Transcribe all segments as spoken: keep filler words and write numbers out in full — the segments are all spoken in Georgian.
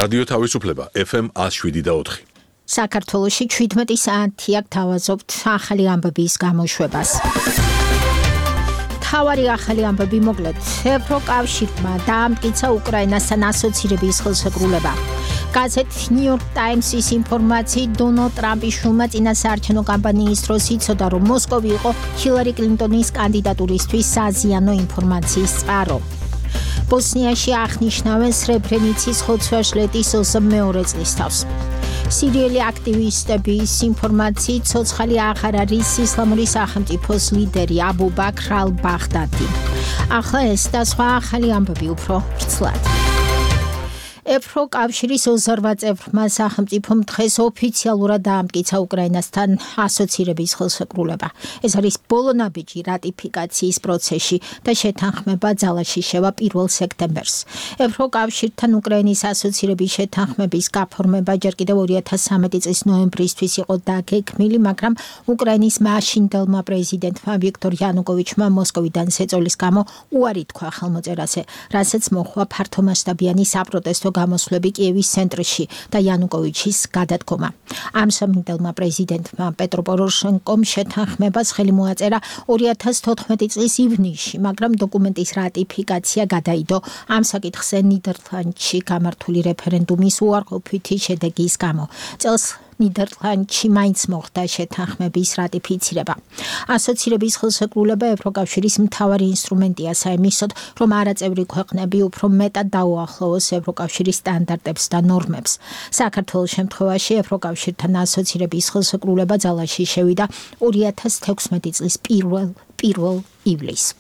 რადიო თავისუფლება F M one oh seven და four. საქართველოში შვიდმეტი საათი აქ თავაზობთ ახალი ამბების გამოშვებას. თავარი ახალი ამბები მოკლედ. ევროკავშირმა დაამტკიცა უკრაინასთან ასოცირების ხელშეკრულება. გაზეთ New York Times-ის ინფორმაციით დონალდ ტრამპის შვილმა წინასაარჩევნო კამპანიის დროს იცოდა, რომ მოსკოვი იყო ჰილარი კლინტონის კანდიდატურისთვის საზიანო ინფორმაციის წყარო. ბოსნიაში აღნიშნავენ სრებრენიცის ხოცვა-შლეტის ოცდამეორე წლის თავს. სირიელი აქტივისტების ინფორმაციით ცოცხალი აღარ არის ისლამური სახელმწიფოს ლიდერი აბუ ბაქრ ალ-ბაღდადი. ახლა ეს და სხვა ახალი ამბები უფრო ვრცლად. ევროკავშირის ოცდაოთხ წევრმა სახელმწიფომ დღეს ოფიციალურად დაამტკიცა უკრაინასთან ასოცირების ხელშეკრულება. ეს არის ბოლო ნაბიჯი რატიფიკაციის პროცესში და შეთანხმება ძალაში შევა პირველ სექტემბერს. ევროკავშირთან უკრაინის ასოცირების შეთანხმების გაფორმება ჯერ კიდევ ორი ათას სამეტი წლის ნოემბრისთვის იყო დაგეგმილი, მაგრამ უკრაინის მაშინდელმა პრეზიდენტმა ვიქტორ იანუკოვიჩმა მოსკოვიდან შეწოლის გამო უარი თქვა ხელმოწერაზე, რასაც მოჰყვა ფართომასშტაბიანი საპროტესტო გამოსვლები კიევის ცენტრში და იანუკოვიჩის გადადგომა. ამ სამინდელმა პრეზიდენტმა პეტრო პოროშენკომ შეთანხმებას ხელი მოაწერა ორი ათას თოთხმეტი წლის ივნისში, მაგრამ დოკუმენტის რატიფიკაცია გადაიდო ამ საკითხზე ნიდერლანდში გამართული რეფერენდუმის უარყოფითი შედეგის გამო. წელს ნიდერლანდში მაინც მოხდა შეთანხმების რატიფიცირება. ასოცირების ხელშეკრულება ევროკავშირის მთავარი ინსტრუმენტია საიმისოდ, რომ არაწევრი ქვეყნები უფრო მეტად დაუახლოვოს ევროკავშირის სტანდარტებს და ნორმებს. საქართველოს შემთხვევაში ევროკავშირთან ასოცირების ხელშეკრულება ძალაში შევიდა ორი ათას თექვსმეტი წლის პირველ პირველ ივლისს.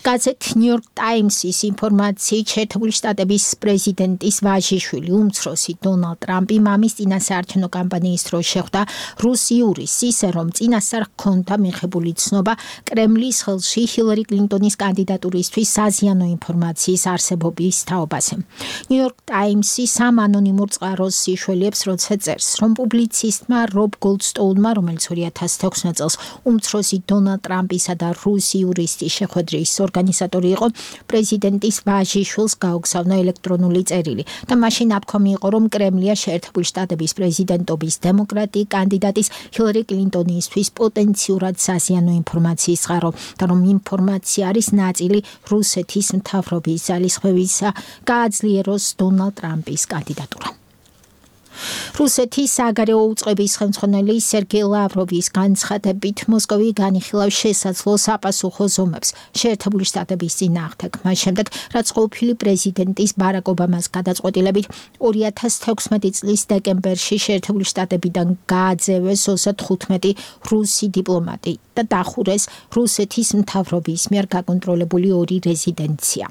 გაზეთ New York Times-ის ინფორმაციით შეერთებული შტატების პრეზიდენტის ვაჟიშვილი უმცროსი დონალდ ტრამპი მამის წინასაარჩევნო კამპანიის დროს შეხვდა რუს იურის, ისე რომ წინასწარ ჰქონდა მიღებული ცნობა კრემლის ხელში ჰილარი კლინტონის კანდიდატურისთვის საზიანო ინფორმაციის არსებობის თაობაზე. New York Times-ი სამ ანონიმურ წყაროს იშველიებს, როცა წერს, რომ პუბლიცისტმა რობ გოლდსტოუნმა, რომელიც ორი ათას თექვსმეტ წელს უმცროსი დონალდ ტრამპისა და რუს იურისტის შეხვედრის ორგანიზატორი იყო, პრეზიდენტის ვაჟიშვილს გაუგზავნა ელექტრონული წერილი და მაშინ აფქომი იყო, რომ კრემლია შეერთებული შტატების პრეზიდენტობის დემოკრატი კანდიდატის ჰილარი კლინტონისთვის პოტენციურად საზიანო ინფორმაციის წყარო და რომ ინფორმაცია არის ნაწილი რუსეთის მთავრობის ძალისხმევისა გააძლიეროს დონალდ ტრამპის კანდიდატურა. რუსეთის საგარეო უწყების ხელმძღვანელი სერგეი ლავროვის განცხადებით მოსკოვი განიხილავს შესაძლო საპასუხო ზომებს შეერთებული შტატების წინააღმდეგ, მას შემდეგ რაც ყოფილი პრეზიდენტის ბარაკ ობამას გადაწყვეტილებით ორი ათას თექვსმეტი წლის დეკემბერში შეერთებული შტატებიდან გააძევეს ოცდათხუთმეტი რუსი დიპლომატი და დახურეს რუსეთის მთავრობის მიერ გაკონტროლებული ორი რეზიდენცია.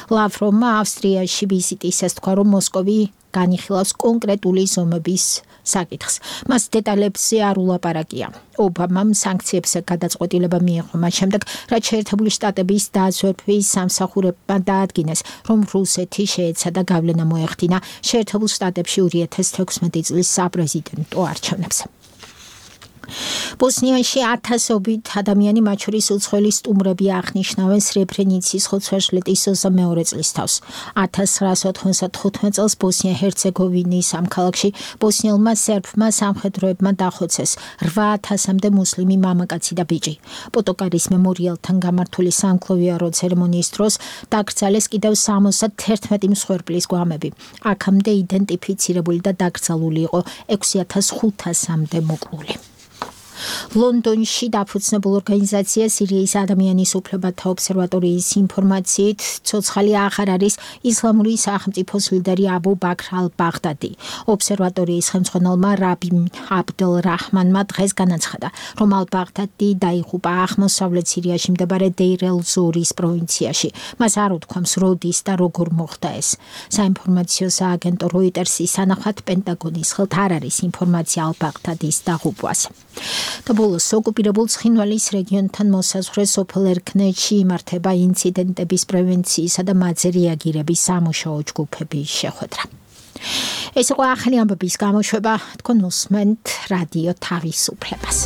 ლავროვმა ავსტრიაში ვიზიტისას თქვა, რომ მოსკოვი განიხილავს კონკრეტული ზომების საკითხს. მას დეტალებზე არ ულაპარაკია. ობამამ სანქციებზე გადაწყვეტილება მიიღო მას შემდეგ, რაც შეერთებული შტატების დაზვერვის სამსახურებმა დაადგინეს, რომ რუსეთი შეეცადა გავლენა მოეხდინა შეერთებულ შტატებში ორი ათას თექვსმეტი წლის საპრეზიდენტო არჩევნებზე. ბოსნიაში ათასობით ადამიანი, მათ შორის უცხოელი სტუმრები აღნიშნავენ სრებრენიცის ხოცვა-შლეტის ოცდამეორე წლის თავს. ათას ცხრაასი ოთხმოცდათხუთმეტ წელს ბოსნია-ჰერცეგოვინის ამ ქალაქში ბოსნიელმა სერბმა სამხედროებმა დახოცეს რვა ათასამდე მუსლიმი მამაკაცი და ბიჭი. პოტოკარის მემორიალთან გამართული სამკლოვიარო ცერემონიის დროს დაკრძალეს კიდევ სამოცდათერთმეტი მსხვერპლის გვამები. აქამდე იდენტიფიცირებული და დაკრძალული იყო ექვსი ათას ხუთასამდე მოკლული. ლონდონში დაფუძნებულ ორგანიზაცია სირიის ადამიანის უფლებათა ობსერვატორიის ინფორმაციით ცოცხალი აღარ არის ისლამური სახელმწიფოს ლიდერი აბუ ბაქრ ალ-ბაღდადი. ობსერვატორიის ხელმძღვანელმა რაბი აბდელ რაჰმანმა დღეს განაცხადა, რომ ალ-ბაღდადი დაიღუპა აღმოსავლეთ სირიაში მდებარე დეირ ელ-ზორის პროვინციაში. მას არ უთქვამს როდის და როგორ მოხდა ეს. საინფორმაციო სააგენტო როიტერსის თანახმად პენტაგონის ხელთ არ არის ინფორმაცია ალ-ბაღდადის დაღუპვაზე. და ბოლოს ოკუპირებულ ცხინვალის რეგიონთან მოსაზღვრე სოფელ ერქნეთში იმართება ინციდენტების პრევენციისა და მათზე რეაგირების სამუშაო ჯგუფების შეხვედრა. ეს იყო ახალი ამბების გამოშვება, თქვენ უსმენთ რადიო თავისუფლებას.